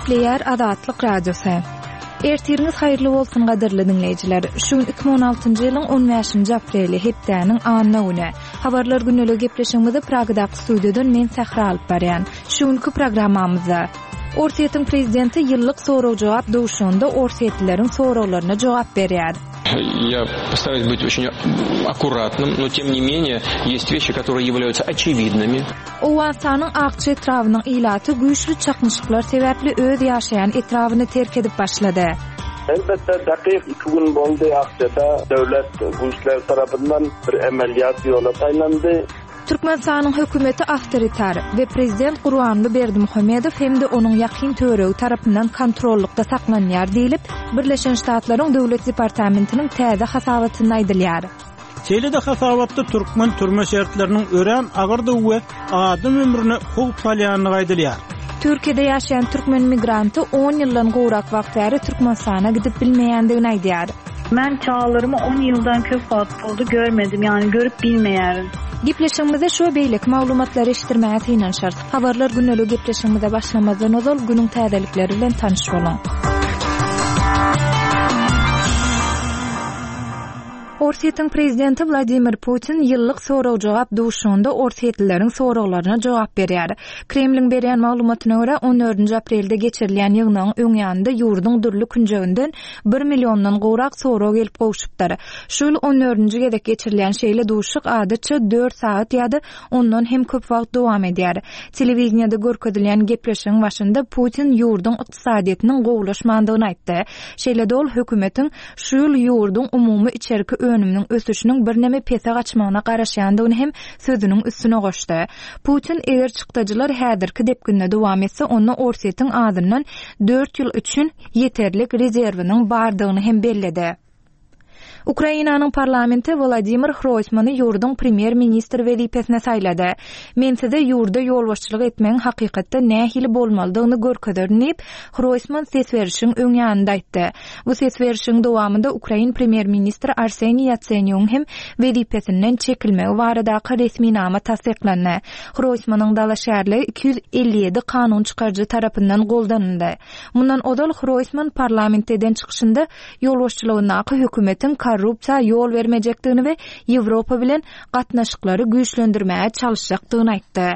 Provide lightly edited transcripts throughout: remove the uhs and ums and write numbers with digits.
Gepleýär Azatlyk Radiosy. Ertiriňiz haýyrly bolsun gadyrly diňleýjiler. Şu gün 2016-njy ýylyň 15-nji apreli, hepdäniň anna güni. Habarlar gündeligi gepleşigimizi Pragadaky studiýadan men Sähra alyp barýan. Şu günki programmamyzda Orsýetiň prezidenti ýyllyk sorag-jogap duşuşygynda orsýetlileriň soraglaryna jogap berýär. Я постараюсь быть очень аккуратным, но тем не менее есть вещи, которые являются очевидными. Owganystanyň Akçy etrabynyň ilaty güýçli çaknyşyklar sebäpli öz ýaşaýan etrabyny terk edip başlady. Elbetde, dakyk iki gün boldy Akçada döwlet güýçleri tarapyndan bir emelýat ýola saýlandy. Türkmenistanyň hökümeti awtoritar we prezident Gurbanguly Berdimuhamedow hem-de onuň ýakyn töweregi tarapyndan kontrollykda saklanýar diýlip, Birleşen Ştatlaryň Döwlet departamentiniň täze hasabatynda aýdylýar. Şeýle-de hasabatda türkmen türme şertleriniň örän agyrdygy we adam ömrüne howp salýandygy aýdylýar. Türkiýede ýaşaýan türkmen migranty on ýyldan gowrak wagt bäri Türkmenistana gidip bilmeýändigini aýdýar. Men çagalarymy on ýyldan köp wagt boldy görmedim, ýagny görüp bilmeýärin. Gepleşigimizde şu we beýleki maglumatlary eşitdirmäge synanyşarys. Habarlar gündeligi gepleşigimize başlamazdan ozal günüň täzelikleri bilen tanyş boluň. Orsýetiň prezidenti Wladimir Putin ýyllyk sorag-jogap duşuşygynda orsýetlileriň soraglaryna jogap berýär. Kremliň berýän maglumatyna görä, on dördünji aprelde geçirilýän ýygnagyň öň ýanynda ýurduň dürli künjeginden bir milliondan gowrak sorag gelip gowşupdyr. Şu ýyl on dördünji gezek geçirilýän şeýle duşuşyk adatça dört sagat ýa-da ondan hem köp wagt dowam edýär. Telewideniýede görkezilýän gepleşigiň başynda Putin ýurduň ykdysadyýetiniň gowulaşmandygyny aýtdy. Şeýle-de ol hökümetiň Şu ýyl ýurduň umumy içerki önüminiň ösüşiniň birneme pese gaçmagyna garaşýandygyny hem sözüniň üstüne goşdy. Putin eger çykdajylar häzirki depginde dowam etse, onda Orsýetiň azyndan dört ýyl üçin ýeterlik rezerwiniň bardygyny hem belledi. Ukrainanyň parlamenti Wolodymyr Hroýsmany ýurduň premýer-ministri wezipesine saýlady. Men size ýurda ýolbaşçylyk etmegiň hakykatda nähili bolmalydygyny görkezerin diýip, Hroýsman ses berişiň öň ýanynda aýtdy. Bu ses berişigiň dowamynda ukrain premýer-ministri Arseniý Ýatsenýugyň hem wezipesinden çekilmegi baradaky resminama tassyklandy. Hroýsmanyň dalaşgärligi 257 kanun çykaryjy tarapyndan goldanyldy. Mundan ozal Hroýsman parlamentde eden çykyşynda ýolbaşçylygyndaky hökümetiň korrupsiýa ýol bermejekdigini we Ýewropa bilen gatnaşyklary güýçlendirmäge çalyşjakdygyny aýtdy.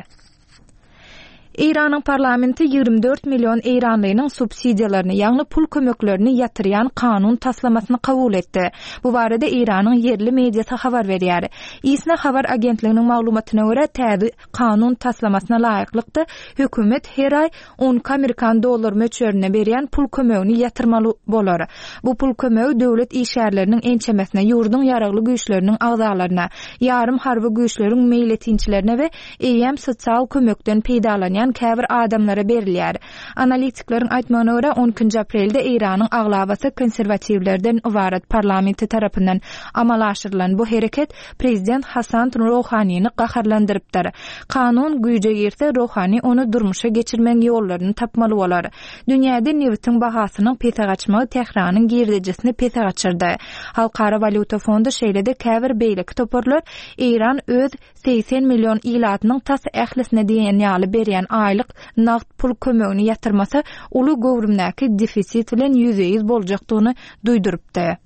Eýranyň parlamenti 24 million eýranlynyň subsidiýalaryny, ýagny pul kömeklerini ýatyrýan kanun taslamasyny kabul etdi. Bu barada Eýranyň ýerli mediasy habar berýär. ISNA habar agentliginiň maglumatyna görä, täze kanun taslamasyna laýyklykda, hökümet her aý 12 amerikan dollar möçberinde berýän pul kömegini ýatyrmaly bolar. Bu pul kömegi döwlet işgärleriniň ençemesine, ýurduň ýaragly güýçleriniň agzalaryna, ýarym harby güýçleriň meýletinçilerine we eýýäm sosial kömekden peýdalanýan käbir adamlara berilýär. Analitikleriň aýtmagyna görä, on ikinji aprelde Eýranyň aglabasy konserwatiwlerden ybarat parlamenti tarapyndan amala aşyrylan bu hereket prezident Hasan Rohanini gaharlandyrypdyr. Kanun güýje girse, Rohani ony durmuşa geçirmegiň ýollaryny tapmaly bolar. Dünýäde nebitiň bahasynyň pese gaçmagy Tähranyň girdejisini pese gaçyrdy. Halkara walýuta fondy şeýle-de käbir beýleki toparlar Eýran öz 80 million ilatynyň tas ählisine diýen ýaly berýän aýlyk nagt pul kömegini ýatyrmasa, uly göwrümdäki defisit bilen ýüzbe-ýüz boljakdygyny duýdurypdy.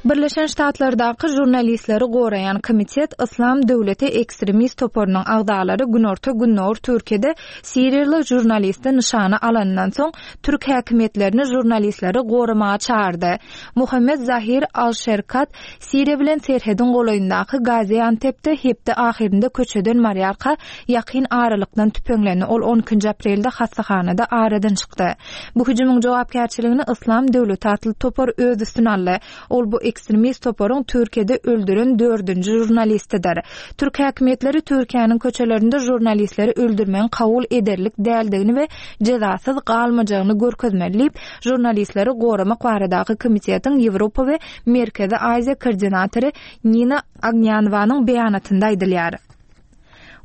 Birleşen Ştatlardaky žurnalistleri goraýan komitet Yslam döwleti ekstremist toparynyň agzalary günorta-gündogar Türkiýede siriýaly žurnalisti nyşana alanyndan soň, türk häkimiýetlerini žurnalistleri goramaga çagyrdy. Muhammet Zahir al-Şerkat Siriýa bilen serhediň golaýyndaky Gaziantepde hepde ahyrynda köçeden barýarka ýakyn aralykdan tüpeňlendi, ol on ikinji aprelde hassahanada aradan çykdy. Bu hüjümiň jogapkärçiligini Yslam döwleti atly topar öz üstüne aldy. Ol bu ekstremist toparyň Türkiýede öldüren dördünji žurnalistidir. Türk häkimiýetleri Türkiýäniň köçelerinde žurnalistleri öldürmegiň kabul ederlik däldigini we jezasyz galmajagyny görkezmeli diýip, Žurnalistleri goramak baradaky komitetiň Ýewropa we Merkezi Aziýa koordinatory Nina Ognýanowanyň beýanatynda aýdylýar.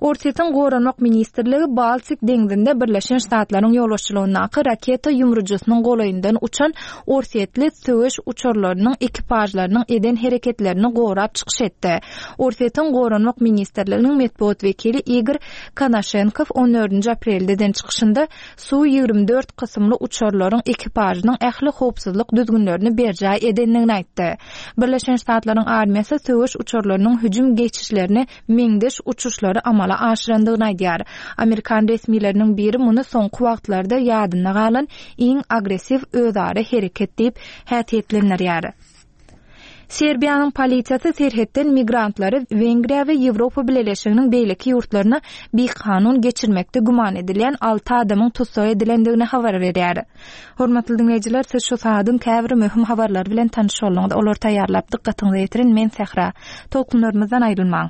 Orsýetiň Goranmak ministrligi Baltik deňzinde Birleşen Ştatlaryň ýolbaşçylygyndaky raketa ýumrujysynyň golaýyndan uçan orsýetli söweş uçarlarynyň ekipažlarynyň eden hereketlerini gorap çykyş etdi. Orsýetiň Goranmak ministrliginiň metbugat wekili Igor Konaşenkow on dördünji aprelde eden çykyşynda Su 24 kysymly uçarlaryň ekipažynyň ähli howpsuzlyk düzgünlerini berjaý edendigini aýtdy. Birleşen Ştatlaryň armiýasy söweş uçarlarynyň hüjüm geçişlerine meňzeş uçuşlary amala aşyrandygyny aýdýar. Amerikan resmileriniň biri muny soňky wagtlarda ýadynda galan iň agressiw özara hereket diýip häsiýetlendirýär. Serbiýanyň polisiýasy serhetden migrantlary Wengriýa we Ýewropa Bileleşiginiň beýleki ýurtlaryna bikanun geçirmekde güman edilýän alty adamyň tussag edilendigini habar berýär. Hormatly diňleýjiler, siz şu sagadyň käbir möhüm habarlary bilen tanyş bolduňyz. Olary taýýarlap dykgatyňyza ýetiren men Sähra. Tolkunlarymyzdan aýrylmaň.